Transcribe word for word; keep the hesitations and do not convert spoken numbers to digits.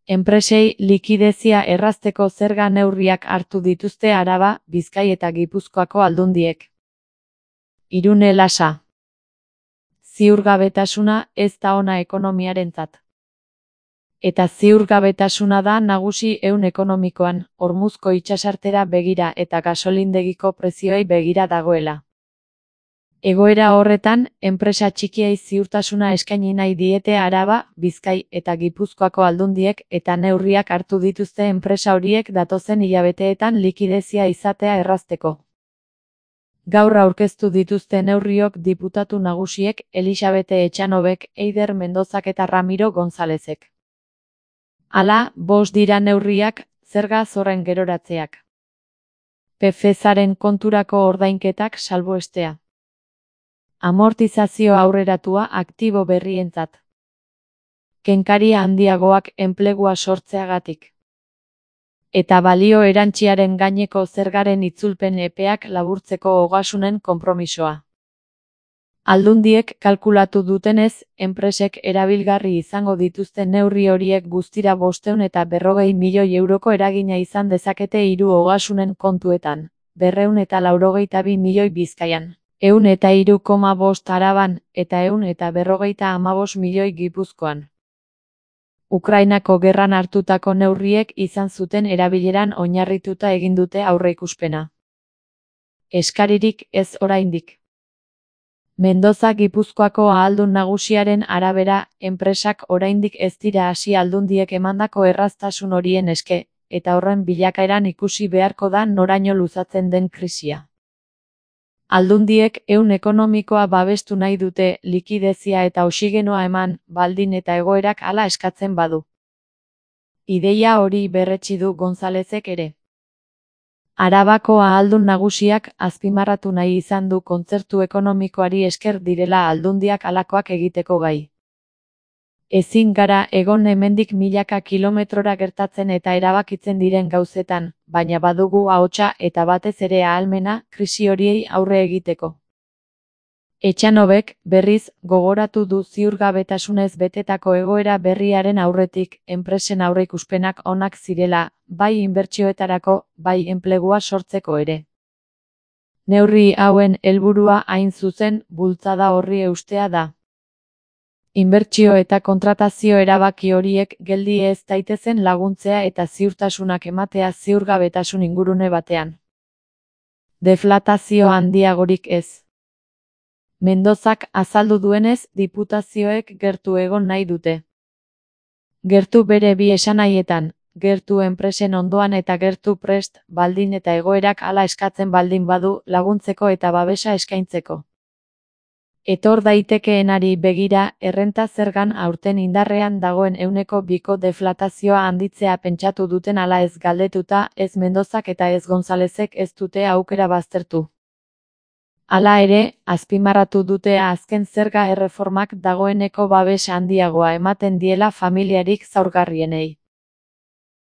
Enpresei likidezia errazteko zerga neurriak hartu dituzte Araba, Bizkai eta Gipuzkoako aldundiek. Irune Lasa. Ziurgabetasuna ez da ona ekonomiarentzat. Eta ziurgabetasuna da nagusi ehun ekonomikoan, Hormuzko itsasartera begira eta gasolindegiko prezioei begira dagoela. Egoera horretan, enpresa txikiei ziurtasuna eskaini nahi diete Araba, Bizkai eta Gipuzkoako aldundiek eta neurriak hartu dituzte enpresa horiek datozen hilabeteetan likidezia izatea errazteko. Gaur aurkeztu dituzte neurriok diputatu nagusiek Elisabete Etxanobek, Eider Mendozak eta Ramiro Gonzalezek. Hala, bost dira neurriak, zerga zorren geroratzeak. P F zaren konturako ordainketak salbuestea. Amortizazio aurreratua aktibo berrientzat. Kenkaria handiagoak enplegua sortzeagatik. Eta balio erantsiaren gaineko zergaren itzulpen epeak laburtzeko ogasunen konpromisoa. Aldundiek kalkulatu dutenez, enpresek erabilgarri izango dituzten neurri horiek guztira bostehun eta berrogei milioi euroko eragina izan dezakete hiru ogasunen kontuetan, berrehun eta laurogeita bi milioi Bizkaian. Ehun eta hiru koma bost Araban, eta ehun eta berrogeita hamabost milioi Gipuzkoan. Ukrainako gerran hartutako neurriek izan zuten erabileran oinarrituta egin dute aurreikuspena. Eskaririk ez oraindik. Mendoza Gipuzkoako ahaldun nagusiaren arabera, enpresak oraindik ez dira hasi aldundiek emandako erraztasun horien eske, eta horren bilakaeran ikusi beharko da noraino luzatzen den krisia. Aldundiek ehun ekonomikoa babestu nahi dute, likidezia eta oxigenoa eman, baldin eta egoerak hala eskatzen badu. Ideia hori berretsi du Gonzalezek ere. Arabako ahaldun nagusiak azpimarratu nahi izan du kontzertu ekonomikoari esker direla aldundiak halakoak egiteko gai. Ezin gara egon hemendik milaka kilometrora gertatzen eta erabakitzen diren gauzetan, baina badugu ahotsa eta batez ere ahalmena krisi horiei aurre egiteko. Etxanobek, berriz, gogoratu du ziurgabetasunez betetako egoera berriaren aurretik, enpresen aurreikuspenak onak zirela, bai inbertsioetarako, bai enplegua sortzeko ere. Neurri hauen helburua hain zuzen, bultzada horri eustea da. Inbertsio eta kontratazio erabaki horiek geldi ez daitezen laguntzea eta ziurtasunak ematea ziurgabetasun ingurune batean. Deflatazio handiagorik ez. Mendozak azaldu duenez, diputazioek gertu egon nahi dute. Gertu bere bi esanahietan, gertu enpresen ondoan eta gertu prest, baldin eta egoerak hala eskatzen baldin badu laguntzeko eta babesa eskaintzeko. Etor daitekeenari begira, errenta zergan aurten indarrean dagoen ehuneko biko deflatazioa handitzea pentsatu duten ala ez galdetuta, ez Mendozak eta ez Gonzalezek ez dute aukera baztertu. Hala ere, azpimarratu dute azken zerga erreformak dagoeneko babes handiagoa ematen diela familiarik zaurgarrienei.